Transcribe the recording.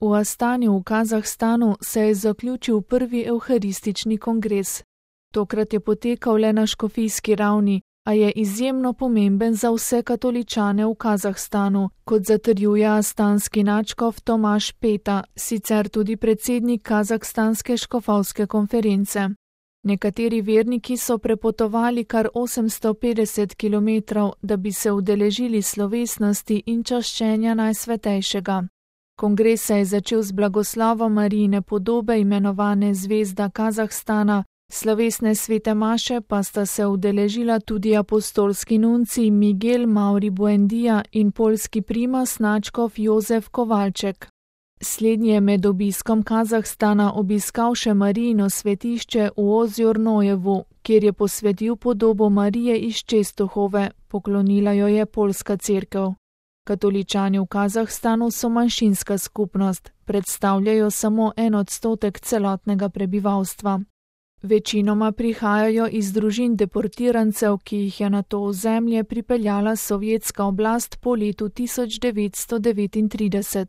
V Astani v Kazahstanu se je zaključil prvi evharistični kongres. Tokrat je potekal le na škofijski ravni, a je izjemno pomemben za vse katoličane v Kazahstanu, kot zatrjuje astanski nadškof Tomaž Peta, sicer tudi predsednik Kazahstanske škofovske konference. Nekateri verniki so prepotovali kar 850 kilometrov, da bi se udeležili slovesnosti in čaščenja Najsvetejšega. Kongres se je začel z blagoslovom Marijine podobe imenovane Zvezda Kazahstana, slovesne svete maše pa sta se udeležila tudi apostolski nuncij Miguel Mauri Buendija in poljski primas nadškof Jozef Kovalček. Slednji je med obiskom Kazahstana obiskal še Marijino svetišče v Ozjornojevu, kjer je posvetil podobo Marije iz Čestohove, poklonila jo je poljska cerkev. Katoličani v Kazahstanu so manjšinska skupnost, predstavljajo samo 1% celotnega prebivalstva. Večinoma prihajajo iz družin deportirancev, ki jih je na to ozemlje pripeljala sovjetska oblast po letu 1939.